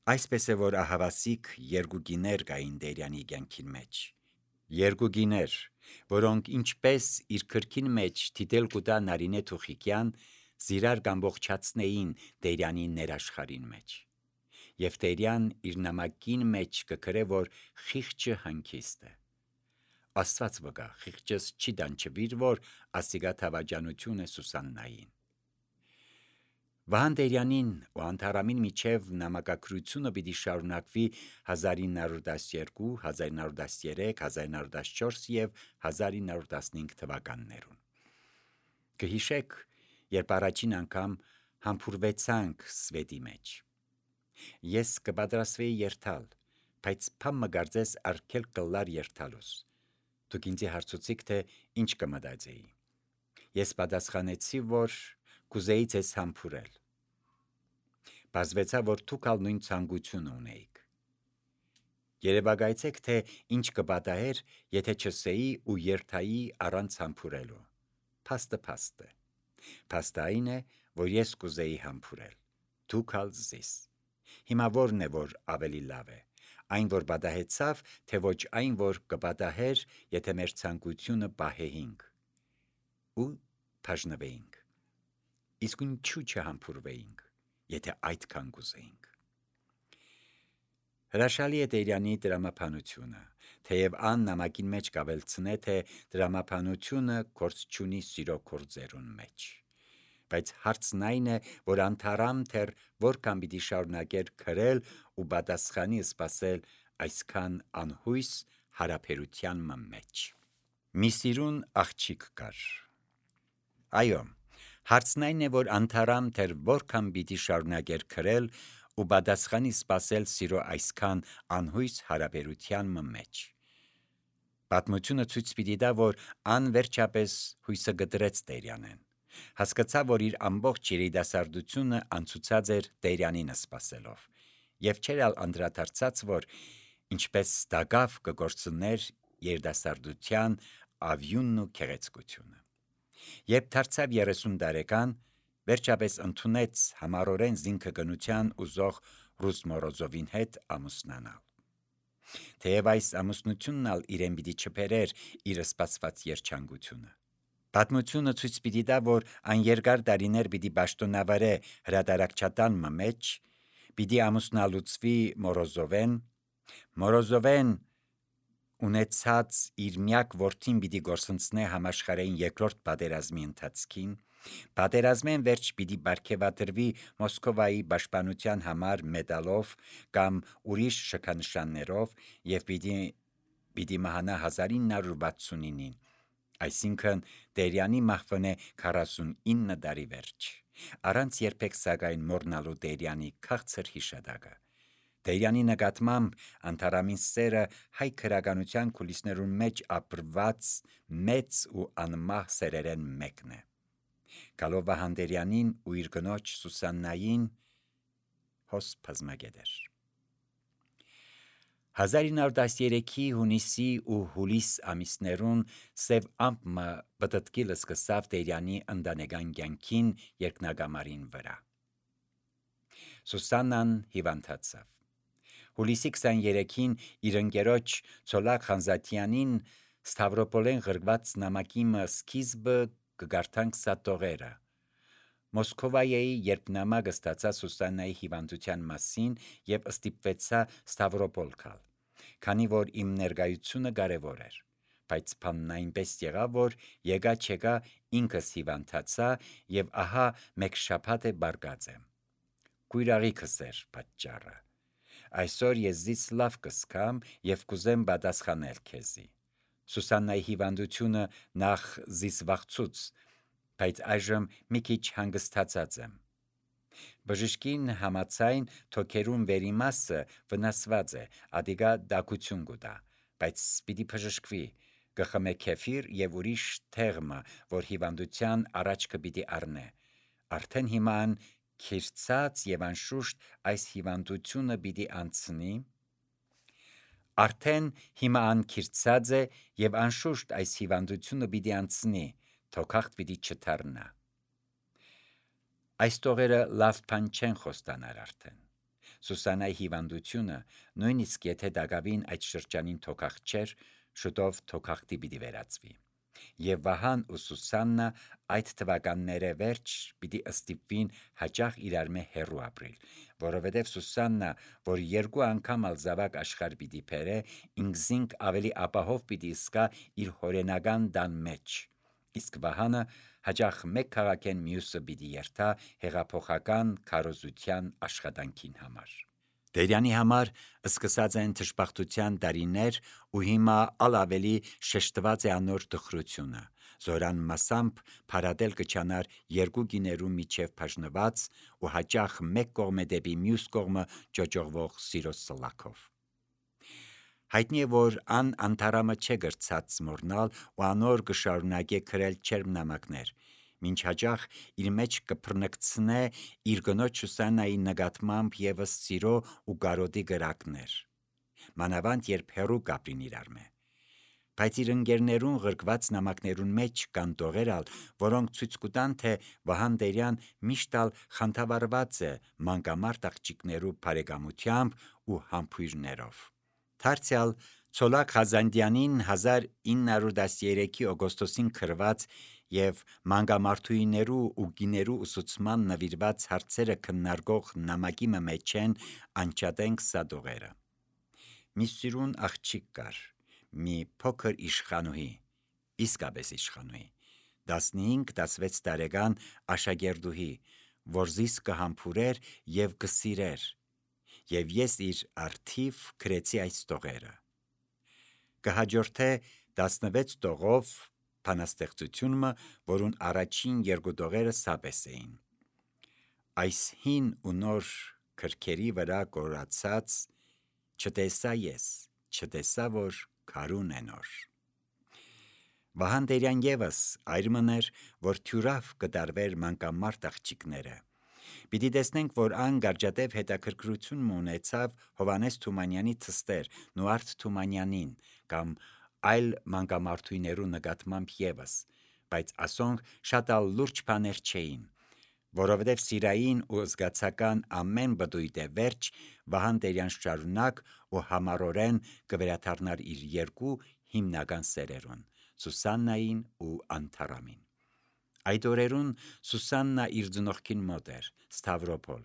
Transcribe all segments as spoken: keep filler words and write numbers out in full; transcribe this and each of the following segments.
Այսպես է, որ ահավասիկ երկու գիներ կային Տերյանի կյանքին մեջ, երկու գիներ, որոնք ինչպես իր քրքին մեջ թիթել կուտա Նարինե Թուխիկյան, զիրար կամբողջացնեին Տերյանի ներաշխարին մեջ, և Տերյան իր նամակին մեջ կգրե, որ խիղճը հանգիստ է, Աստված վկա, խիղճս չի դանչվիր, որ ասիգա թավաջանություն է Սուսաննային։ Վահան Տերյանին ու Անթարամին միջև նամակագրությունը պիտի շարունակվի հազար ինը հարյուր տասնյոթ, հազար ինը հարյուր տասնյոթ, հազար ինը հարյուր տասնչորս և հազար ինը հարյուր տասնհինգ թվականներուն։ Կհիշեք, երբ առաջին անգամ համբուրվեցանք Սվետի մեջ։ Ես կպատրաստվեի երթալ, բայց փամը գարձես արգել կլար երթալուս։ Դուք ինձ հարցուցիք, թե ինչ կմտածեի։ Ես պատասխանեցի, որ կուզեի ձեզ համբուրել։ Պարզվեցավ, որ դուք ալ նույն ցանկությունը ունեիք։ Երևակայեցեք, թե ինչ կպատահեր, եթե չսեի ու երթայի առանց համբուրելու։ Փաստը փաստ է։ Փաստը այն է, որ ես կուզեի համբուրել։ Դուք ալ զիս։ Հիմա որն է, որ ավելի լավ է։ Այն, որ պատահեցավ, թե ոչ այն, որ կպատահեր, եթե մեր ցանկությունը պահեինք ու բաժնվեինք։ Իսկ ինչու չհամբուրվեինք, եթե այդքան կուզեինք։ Հրաշալի է Տերյանի դրամապանությունը, թեև ան նամակին մեջ կավելցնե, թե դրամապանությունը գործ չունի սիրո գործերուն մեջ։ Բայց հարցն այն է, որ Անթարամ թեր որքան պիտի շարունակեր գրել ու պատասխանի սպասել այսքան անհույս հարաբերության մեջ։ Մի սիրուն աղջիկ կար։ Այո, հարցն այն է, որ Անթարամ թեր որքան պիտի շարունակեր գրել ու պատասխանի սպասել սիրո այսքան անհույս հարաբերության մեջ։ Պատմությունը ցույց պիտի տա, որ ան վերջապես հույսը գտրեց Տերյանեն։ Հասկացավ, որ իր ամբողջ երիտասարդությունը անցուցած էր Տերյանին սպասելով, և չէր ալ անդրադարձած, որ ինչպես ստագավ կգործներ երիտասարդության ավյունն ու գեղեցկությունը։ Երբ դարձավ երեսուն տարեկան, վերջապես ընդունեց համառորեն զինքգնության ուզող ռուս Մորոզովին հետ ամուսնանալ։ Թեև այս ամուսնությունն ալ իրեն պիտի չբերեր իր սպասված երջանկությունը։ Պատմությունը ցույց պիտի տա, որ այն երկար տարիներ պիտի պաշտոնավարե հրատարակչատան մեջ, պիտի ամուսնալուծվի Մորոզովեն, Մորոզովեն ունեցած իր միակ որդին պիտի գործընծնե համաշխարհային երկրորդ պատերազմի ընթացքին, պատերազմեն վերջ պիտի պարգևատրվի Մոսկովայի պաշտպանության համար մեդալով կամ ուրիշ շքանշաններով և պիտի, պիտի մահանա հազար ինը հարյուր վաթսունինին, այսինքն Տերյանի մահվնե քառասունինը տարի վերջ, առանց երբեք սակայն մոռնալու Տերյանի քաղցր հիշատակը։ Տերյանի նկատմամբ Անթարամին սերը հայ գրականության կուլիսներուն մեջ ապրված մեծ ու անմահ սերերեն մեկն է։ Գալով Վահան Տերյանին ու իր կնոջ Սուսաննային հոս բազմագետ էր։ հազար ինը հարյուր տասներեքի հունիսի ու հուլիս ամիսներուն Սև ամպը պտտկիլ սկսավ Տերյանի ընտանեկան կյանքին երկնակամարին վրա։ Սուսաննան հիվանդացավ։ Հուլիսի քսաներեքին իր ընկերոջ Ցոլակ Խանզաթյանին Ստավրոպոլեն գրված նամակի սկիզբը կգարթանք սատողերը։ Մոսկովայի երբ նամակը ստացա Սուսաննայի հիվանդության մասին և ստիպվեցա Ստավրոպոլ գալ, քանի որ իմ ներկայությունը կարևոր էր, բայց բանն այնպես եղավ, որ եկա-չեկա ինքս հիվանդացա և ահա մեկ շաբաթ է բարկած եմ։ Կույրաղիքս էր պատճառը։ Այսօր ես զիս լավ կզգամ և կուզեմ պատասխանել քեզի։ Սուսաննայի հիվանդությունը նախ զիս վախցուց, բայց այժմ մի քիչ հանգստացած եմ։ Բժշկին համաձայն թոքերուն վերի մասը վնասված է, ադիգա տաքություն կուտա, բայց պիտի բժշկվի, կխմե քեֆիր և ուրիշ թեղմը, որ հիվանդության առաջ կպիտի առնե։ Արդեն հիմա ան քիրծած և անշուշտ այս հիվանդությունը պիտի անցնի։ Արդեն հիմա ան քիրծած է և անշուշտ այս հիվանդությունը պիտի անցնի, թոքախտ պիտի չդառնա։ Այս տողերը լավ բան չեն խոստանար արդեն։ Սուսանայի հիվանդությունը, նույնիսկ եթե դակավին այդ շրջանին թոքախտ չէր, շուտով թոքախտի պիտի վերածվի։ Եվ Վահան ու Սուսաննա այդ թվականները վերջ պիտի ստիպվին հաճախ իրար մե հեռու ապրել, որովհետև Սուսաննա, որ երկու անգամ ալ զավակ աշխարհ պիտի բերե, ինքզինք ավելի ապահով պիտի սկա իր հորենական տան մեջ, իսկ Վահանը հաճախ մեկ քաղաքեն մյուսը պիտի երթա հեղափոխական քարոզության աշխատանքին համար։ Տերյանի համար սկսած են թշպախտության տարիներ ու հիմա ալ ավելի շեշտված է անոր տխրությունը, զորան մասամբ փարատել կչանար երկու գիներու միջև բաժնված ու հաճախ մեկ կողմը դեպի մյուս կողմը ճոճողվող սիրո սլաքով։ Հայտնի է, որ ան անթարամը չէ գրծած մորնալ ու անոր կշարունակե քրել չերմնամակներ, մինչ հաճախ իր մեջ կփռնկցնե իր գնոջ Սուսաննայի նկատմամբ ևս սիրո ու կարոտի գրակներ, մանավանդ երբ հեռու կապրին իրար մե։ Բայց իր ընկերներուն ղրկված նամակներուն մեջ կան տողերալ, որոնք ցույց կտան, թե Վահան Տերյան միշտ ալ խանդավառված է մանկամարտ աղջիկներու բարեկամությամբ ու համբույրներով։ Դարձյալ Ցոլակ Խազանդյանին հազար ինը հարյուր տասներեքի օգոստոսին քրված եւ մանկամարտուիներու ու գիներու ուսուցման նվիրված հարցերը քննարկող նամակի մեջ են անչադենք սադողերը։ Մի սիրուն աղջիկ կար, մի փոքր իշխանուհի, իսկապես իշխանուհի, տասնհինգ տասնվեց տարեկան աշակերտուհի, որ զիս կհամբուրեր եւ կսիրեր, եւ ես իր արթիվ գրեցի այս տողերը։ Կհաջորդե տասնվեց տողով բանաստեղծությունը, որուն առաջին երկու տողերը սապես էին։ Այս հին ու նոր քրքերի վրա կորացած չտեսա ես, չտեսա, որ քարուն է նոր։ Վահան Տերյան ևս այրմներ, որ թյուրավ կդարվեր մանկամարտ աղջիկները։ Պիտի տեսնենք, որ ան գարջատև հետաքրքրություն ունեցավ Հովանես Թումանյանի թստեր, Նուարդ Թումանյանին կամ այլ մանկամարտուիներու նկատմամբ ևս, բայց ասոնք շատ ալ լուրջ բաներ չէին, որովհետև սիրային ու զգացական ամեն բդույթ է վերջ, Վահան Տերյան շարունակ ու համառորեն կվերադառնար իր երկու հիմնական սերերուն՝ Սուսաննային ու Անթարամին։ Այդ օրերուն Սուսաննա իր ծնողքին մոտ էր, Ստավրոպոլ,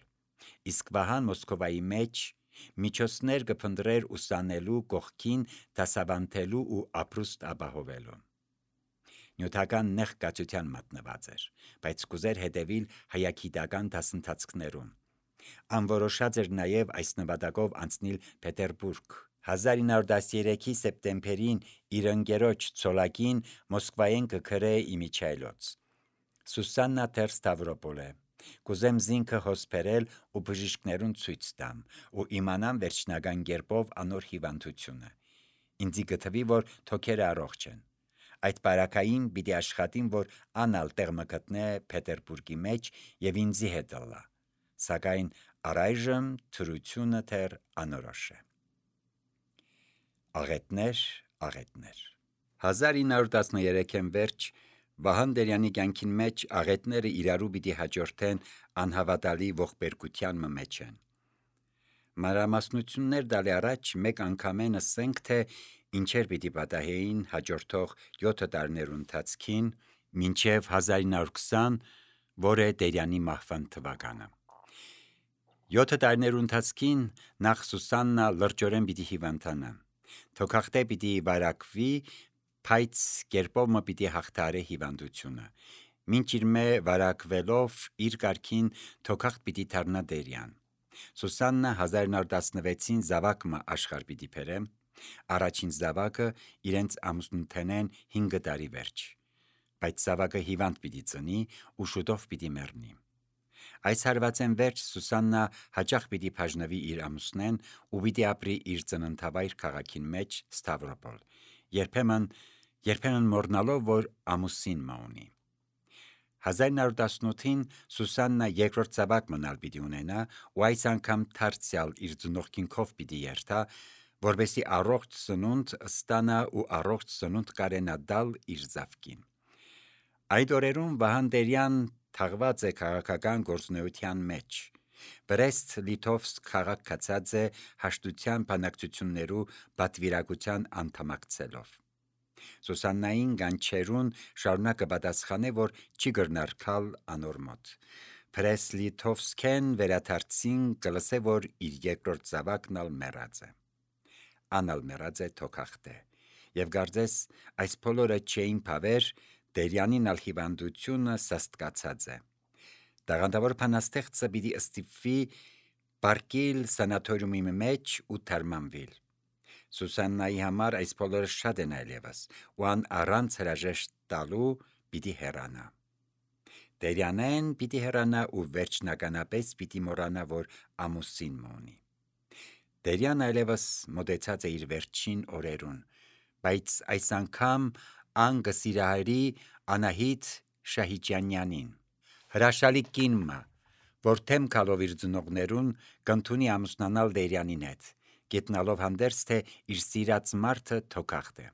իսկ Վահան Մոսկովայի մեջ միջոցներ կփնտրեր ուսանելու կողքին դասավանդելու ու ապրուստ ապահովելու։ Նյութական նեղ կացության մատնված էր, բայց կուզեր հետևիլ հայագիտական դասընթացքներուն։ Անորոշած էր նաև այս նպատակով անցնել Պետերբուրգ։ հազար ինը հարյուր տասներեքի սեպտեմբերին իր ընկերոջ Ցոլակին Մոսկվայեն կգրե իմիջայլոց։ Սուսաննա դեռ Ստավրոպոլ է, կուզեմ զինքը հոսպերել ու բժիշկներուն ցույց տամ ու իմանամ վերջնական կերպով անոր հիվանդությունը։ Ինձի գտվի, որ թոքերը առողջ են։ Այդ բարակային պիտի աշխատին, որ անալ տեղ մը գտնե Պետերբուրգի մեջ եւ ինձի հետ ըլլա, սակայն առայժմ թրությունը դեռ անորոշ է։ Աղետներ, աղետներ հազար ինը հարյուր տասներեքին վերջ Վահան Տերյանի կյանքին մեջ աղետները իրարու պիտի հաջորդեն անհավատալի ողբերգության մեջ են։ Մանրամասնություններ տալի առաջ մեկ անգամեն ասենք, թե ինչեր պիտի պատահեին հաջորդող յոթ տարիներու ընթացքին մինչև հազար ինը հարյուր քսան, որ է Տերյանի մահվան թվականը։ Յոթ տարիներու ընթացքին նախ Սուսաննա լրջորեն պիտի հիվանդանա, թոքախտե պիտի վարակվի, բայց կերպով մը պիտի հաղթարե հիվանդությունը, մինչ իր մե վարակվելով իր կարգին թոքախտ պիտի դառնա Տերյան։ Սուսաննա հազար ինը հարյուր տասնվեցին զավակ մը աշխարհ պիտի բերե, առաջին զավակը իրենց ամուսնութենեն հինգ տարի վերջ, բայց զավակը հիվանդ պիտի ծնի ու շուտով պիտի մեռնի։ Այս հարվածեն վերջ Սուսաննա հաճախ պիտի բաժնվի իր ամուսնեն ու պիտի ապրի իր ծննդավայր քաղաքին մեջ Ստավրոպոլ, երբեմն երբեմն մոռնալով, որ ամուսին մը ունի։ հազար ինը հարյուր տասնութին Սուսաննա երկրորդ զավակ մնալ պիտի ունենա ու այս անգամ դարձյալ իր ծնողքինքով պիտի երթա, որպեսզի առողջ սնունդ ստանա ու առողջ սնունդ կարենա տալ իր զավկին։ Այդ օրերուն Վահան Տերյան թաղված է քաղաքական գործունեության մեջ, Բրեստ-Լիտովսկ քաղաք կացած է հաշտության բանակցություններու պատվիրակության անդամակցելով։ Սուսաննային գանչերուն շարունակը պատասխանե, որ չի գրնարկալ անոր մոտ։ Բրեստ-Լիտովսկեն վերադարձին կլսե, որ իր երկրորդ զավակն ալ մեռած է։ Անալ մեռած է թոքախտե։ Եվ գարձես այս բոլորը չէին փավեր, Տերյանին ալ հիվանդությունը սաստկացած է։ Տաղանդավոր փանաստեղծը պիտի ստիպվի պարկիլ սանատորիումի մեջ ու թարմանվիլ։ Սուսաննայի համար այս բոլորը շատ են այլևս, ու ան առանց հրաժեշտ տալու պիտի հեռանա։ Տերյանեն պիտի հեռանա ու վերջնականապես պիտի մոռանա, որ ամուսին մունի։ Տերյան այլևս մոտեցած է իր վերջին օրերուն, բայց այս անգամ ան կսիրահարի Անահիտ Շահիջյանյանին, հրաշալի կինը, որ թեմ կալով իր ծնողներուն կընդունի ամուսնանալ Տերյանին հետ, գետնալով հանդերձ, թե իր սիրած մարդը թոքախտ է։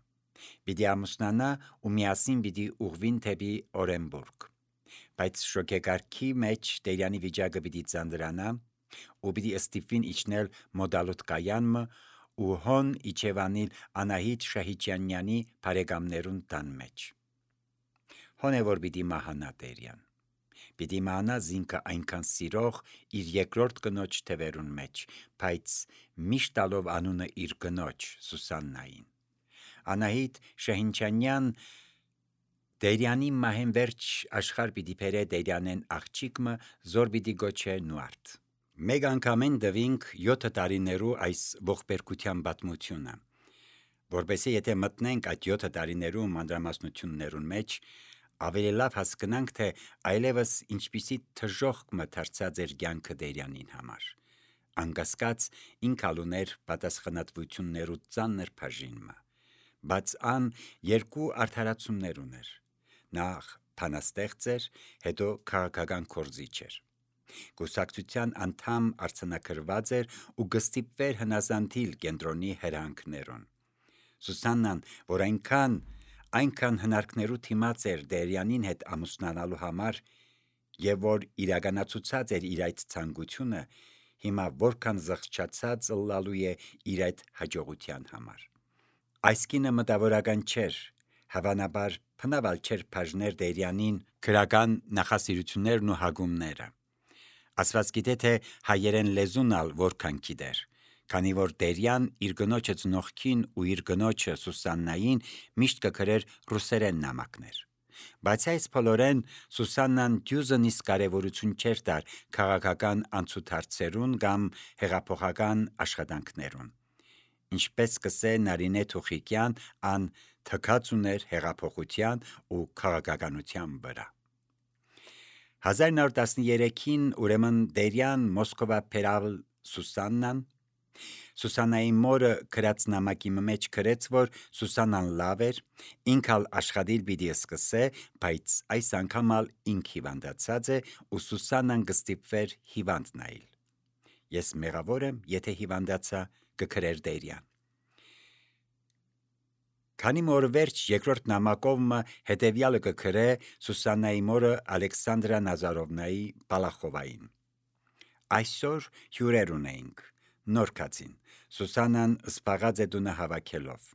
Պիտի ամուսնանա ու միասին պիտի ուղվին թեպի Օրենբուրգ։ Բայց շոգեկարգի մեջ Տերյանի վիճակը պիտի ծանրանա ու պիտի ստիպվին իջնել մոդալոտ կայանմը ու հոն իջևանիլ Անահիտ Շահիջյանյանի բարեկամներուն տան մեջ։ Հոն է որ պիտի մահանա Տերյան։ Պիտի մահանա զինքը այնքան սիրող իր երկրորդ կնոջ թևերուն մեջ, բայց միշտ տալով անունը իր կնոջ Սուսաննային։ Անահիտ Շահիջյանյան Տերյանի մահեն վերջ աշխարհ պիտի բերե Տերյանեն աղջիկը, զոր պիտի գոչե Նուարդ։ Մեկ անգամեն դվինք յոթ տարիներու այս ողբերգության պատմությունը, որպեսզի եթե մտնենք այդ յոթ տարիներու մանրամասնություններուն մեջ, ավելի լավ հասկանանք, թե այլևս ինչպիսի թժոխք մթարցած էր կյանքը Տերյանին համար։ Անկասկած ինքալ ուներ պատասխանատվություններու ծանր բաժինը, բայց ան երկու արդարացումներ ուներ։ Նախ փանաստեղծ էր, հետո քաղաքական գործիչ էր։ Կուսակցության անդամ արձանագրված էր ու կստիպվեր հնազանդիլ կենտրոնի հրահանգներուն։ Սուսաննան, որ այնքան այնքան հնարքներու թիմած էր Տերյանին հետ ամուսնանալու համար եւ որ իրականացուցած էր իր այդ ցանկությունը, հիմա որքան զղջացած ըլլալու է իր այդ հաջողության համար։ Այս կինը մտավորական չէր, հավանաբար փնավալ չէր բաժներ Տերյանին քրական նախասիրություններն ու հագումները։ Աստված գիտե, թե հայերեն լեզուն ալ որքան գիտեր, քանի որ Տերյան իր կնոջը ծնողքին ու իր կնոջը Սուսաննային միշտ կգրեր ռուսերեն նամակներ։ Բայց այս բոլորեն Սուսաննան դյուզնից կարևորություն չէր տար քաղաքական անցուդարձերուն կամ հեղափոխական աշխատանքներուն։ Ինչպես կսե Նարինե Թուխիկյան, ան թքած ուներ հեղափոխության ու քաղաքականության վրա։ հազար նոր տասներեքին ուրեմն Տերյան Մոսկովա բերալ Սուսաննան։ Սուսաննայի մորը գրած նամակի մեջ գրեց, որ Սուսաննան լավ էր, ինքալ աշխատիլ պիտի սկսե, բայց այս անգամ ալ ինք հիվանդացած է ու Սուսաննան կստիպվեր հիվանդ նայել։ Ես մեղավոր եմ, եթե հիվանդացա, կգրեր Տերյան։ Քանի մոր վերջ երկրորդ նամակովը հետևյալը կգրե Սուսաննայի մորը Ալեքսանդրա Նազարովնայի Բալախովային։ Այսօր հյուրեր ունեինք, նոր կացին, Սուսաննան սպաղած է դունը հավաքելով։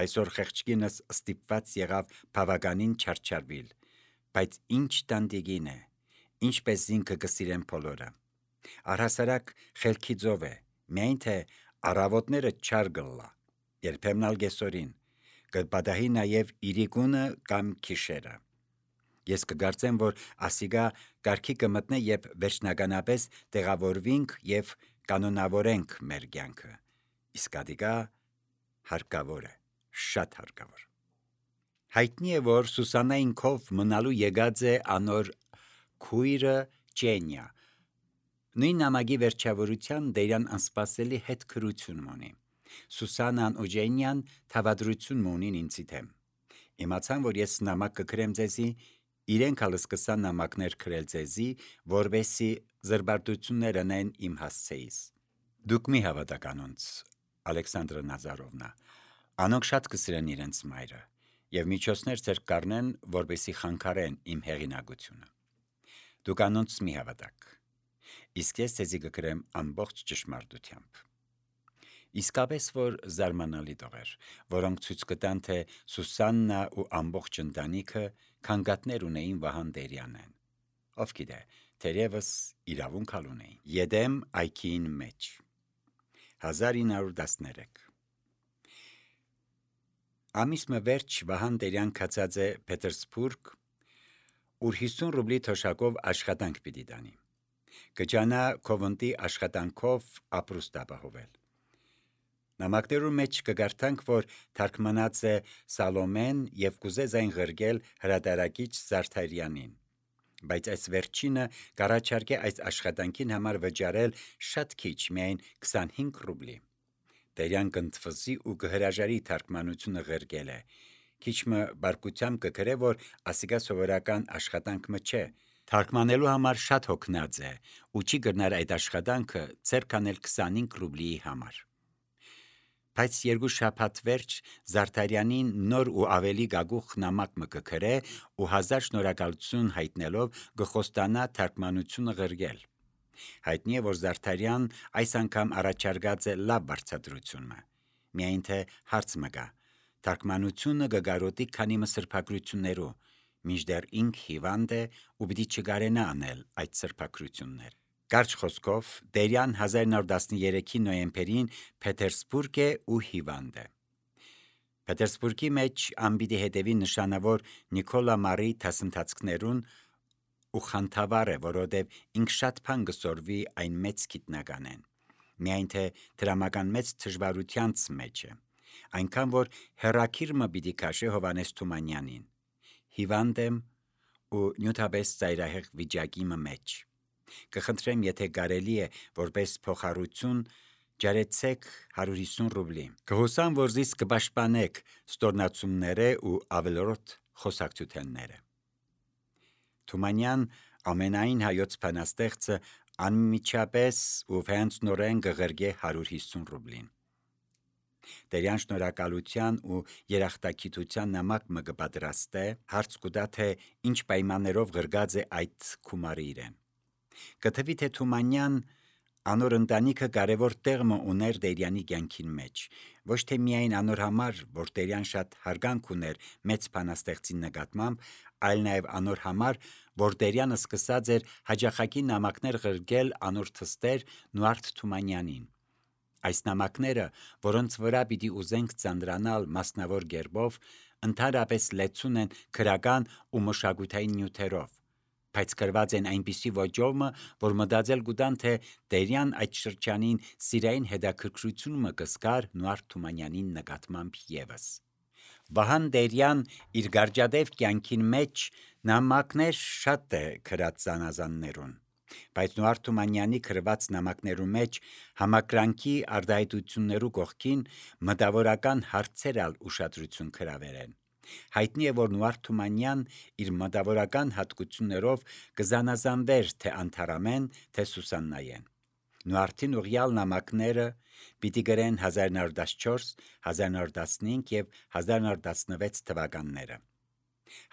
Այսօր խեղճկինս ստիպված եղավ բավականին չարչարվիլ, բայց ինչ տանտիկին է, ինչպես ինքը կսիրեն բոլորը։ Առհասարակ խելքի ձով է, միայն թե առավոտները չար գլլա, երբեմն ալ գեսորին, կպատահի նաև իրիկունը կամ քիշերը։ Ես կգործեմ, որ ասիգա կարգի կմտնե եւ վերջնականապես տեղավորվինք եւ կանոնավորենք մեր կյանքը։ Իսկ ադիգա հարկավոր է, շատ հարկավոր։ Հայտնի է, որ Սուսաննային քով մնալու եկած է անոր քույրը Չենյա։ Նույն նամակի վերջավորության Տերյան անսպասելի հետ քրություն ունի։ Սուսաննան ու Չենյան թավադրություն ունին ինձի դեմ։ Իմացան, որ ես նամակ կգրեմ ձեզի, իրենք ալ սկսան նամակներ գրել ձեզի, որովհետեւ զրբարտություններ անեն իմ հասցեից։ Դուք մի հավատաք անոնց, Ալեքսանդրա Նազարովնա, անոնք շատ կսիրեն իրենց մայրը եւ միջոցներ ձեր կառնեն, որովհետեւ խանգարեն իմ հեղինակությունը։ Դուք անոնց մի հավատաք։ իսկ ես ցեզի կգրեմ ամբողջ ճշմարտությամբ։ Իսկապես որ զարմանալի տողեր, որոնք ցույց կտան, թե Սուսաննա ու ամբողջ ընտանիքը քանգատներ ունեին Վահան Տերյանեն։ Ով գիտե, թերևս իրավունք ունեին։ Եդեմ այգին մեջ հազար ինը հարյուր տասներեք Ամիս մը վերջ Վահան Տերյան կացած է Պետերսբուրգ, ուր հիսուն ռուբլի թոշակով աշխատանք պիտի տանի։ Կջանա Քովնտի աշխատանքով ապրուստ ապահովել։ Նամակներու մեջ կգարտանք, որ թարգմանած է Սալոմեն եւ կուզե զայն ղրգել հրատարակիչ Զարդարյանին, բայց այս վերջինը կառաջարկե այս աշխատանքին համար վճարել շատ քիչ, միայն քսանհինգ ռուբլի։ Տերյան կընդվզի ու կհրաժարի թարգմանությունը ղրգել է։ Քիչ մը բարկությամբ կգրե, որ ասիկա սովորական աշխատանք մը չէ։ Թարգմանելու համար շատ հոգնած է ու չի գրնար այդ աշխատանքը ձեռք անել քսանհինգ ռուբլիի համար։ Բայց երկու շաբաթ վերջ Զարդարյանին նոր ու ավելի գագուխ նամակ մը կգրե ու հազար շնորհակալություն հայտնելով կխոստանա թարգմանությունը ղրգել։ Հայտնի է, որ Զարդարյան այս անգամ առաջարկած է լավ բարձրացություն մը։ Միայն թե հարց մը կա։ Թարգմանությունը կգարոտի քանի մը սրբագրություններու, մինչդեռ ինք հիվանդ է ու պիտի չգարենա անել այդ սրբագրություններ։ Կարճ խոսքով, Տերյան հազար ինը հարյուր տասներեքի նոյեմբերին Պետերսբուրգ է ու հիվանդ է։ Պետերսբուրգի մեջ անպիտի հետևի նշանավոր Նիկոլա Մարի դասընթացքներուն ու խանդավառ է, որովհետև ինք շատ բան կսորվի այն մեծ գիտնականեն։ Միայն թե դրամական մեծ դժվարությանց մեջ է։ Այնքան որ հերակիր մը պիտի քաշե Հովանես Թումանյանին։ Հիվանդ եմ ու նյութապես ծայրահեղ վիճակի մեջ։ Կխնդրեմ, եթե կարելի է, որպես փոխառություն, ջարեցեք հարյուր հիսուն ռուբլի։ Կհուսամ, որ զիս կպաշտպանեք ստորնացումները ու ավելորդ խոսակցությունները։ Թումանյան ամենայն հայոց բանաստեղծը անմիջապես ու վեհանցնորեն կղրգե հարյուր հիսուն ռուբլին։ Տերյան շնորհակալության ու երախտագիտության նամակ մը կպատրաստե, հարց կուտա, թե ինչ պայմաններով ղրգած է այդ գումարը իրեն։ Կթվի, թե Թումանյան անոր ընտանիքը կարևոր տեղ մը ուներ Տերյանի կյանքին մեջ, ոչ թե միայն անոր համար, որ Տերյան շատ հարգանք ուներ մեծ բանաստեղծի նկատմամբ, այլ նաև անոր համար, որ Տերյանը սկսած էր հաջախակի նամակներ ղրգել անոր թստեր Նուարդ Թումանյանին։ Այս նամակները, որոնց վրա պիտի ուզենք ծանրանալ մասնավոր գերբով, ընդհանրապես լեցուն են քրական ու մշակութային նյութերով, բայց գրված են այնպիսի ոճով մը, որ մտածել կուտան, թե Տերյան այդ շրջանին սիրային հետաքրքրություն մը կզգար Նուարդ Թումանյանին նկատմամբ ևս։ Վահան Տերյան իր գարջադեպ կյանքին մեջ նամակներ շատ է գրած զանազաններուն, բայց Նուարդ Թումանյանի գրված նամակներու մեջ համակրանքի արտահայտություններու կողքին մտավորական հարցեր ալ ուշադրություն գրավել են։ Հայտնի է, որ Նուարդ Թումանյան իր մտավորական հատկություններով կզանազանվեր թե Անթարամեն, թե Սուսաննայեն։ Նուարդին ուղյալ նամակները պիտի գրեն հազար ինը հարյուր տասնչորս, հազար ինը հարյուր տասնհինգ եւ հազար ինը հարյուր տասնվեց թվականները։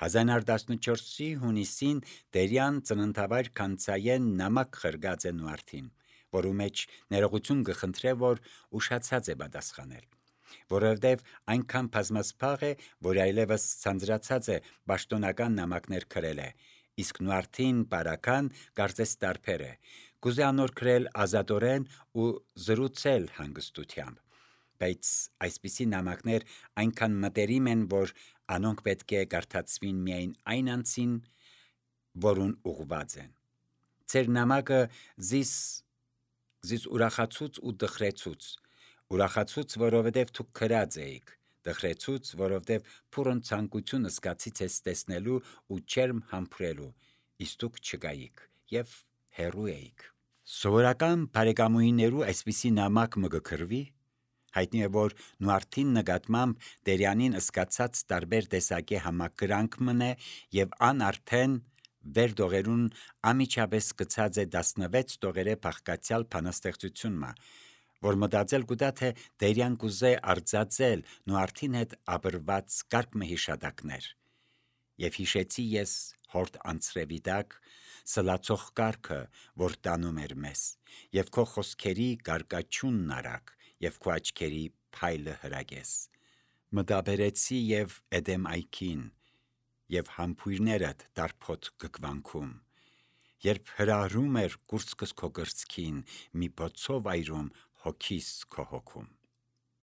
հազար ինը հարյուր տասնչորսի հունիսին Տերյան ծննդավայր կանցայեն նամակ ղրգած է Նուարդին, որու մեջ ներողություն կխնդրե, որ ուշացած է պատասխանել, որովհետև այնքան բազմասփաղ է, որ այլևս ցանցրացած է պաշտոնական նամակներ գրել է, իսկ Նուարդին բարական կարծես տարբեր է, կուզե անոր գրել ազատորեն ու զրուցել հանգստությամբ, բայց այսպիսի նամակներ այնքան մտերիմ են, որ անոնք պետք է կարդացվին միայն այն անձին, որուն ուղված են։ Ձեր նամակը զիս զիս ուրախացուց ու տխրեցուց, ուրախացուց, որովհետև դուք գրած էիք, տխրեցուց, որովհետև փուրն ցանկություն զգացի ձեզ տեսնելու ու չերմ համբուրելու, իսկ դուք չկայիք եւ հեռու էիք։ Սովորական բարեկամուհիներու այսպիսի նամակ մը կգրվի։ Հայտնի է, որ Նուարդին նկատմամբ Տերյանին զգացած տարբեր տեսակի համակրանք մնե եւ ան արդեն վեր դողերուն ամիջապես գցած է տասնվեց դողերը բաղկացյալ բանաստեղծություն մը, որ մտածել կուտա, թե Տերյան կուզե արձածել Նուարդին հետ ապրված կարգ մը հիշատակներ։ Եվ հիշեցի ես հորդ անցրևի տակ սլացող կարգը, որ տանում էր մեզ, և քո խոսքերի կարկաչունն արագ, և քո աչքերի փայլը հրագես։ Մտաբերեցի և Էդեմ այգին, և համբույրներդ տարփոտ գգվանքում, երբ հրահրում էր կուրծքս քո կրծքին, մի բոցով այրում հոգիս քո հոգում։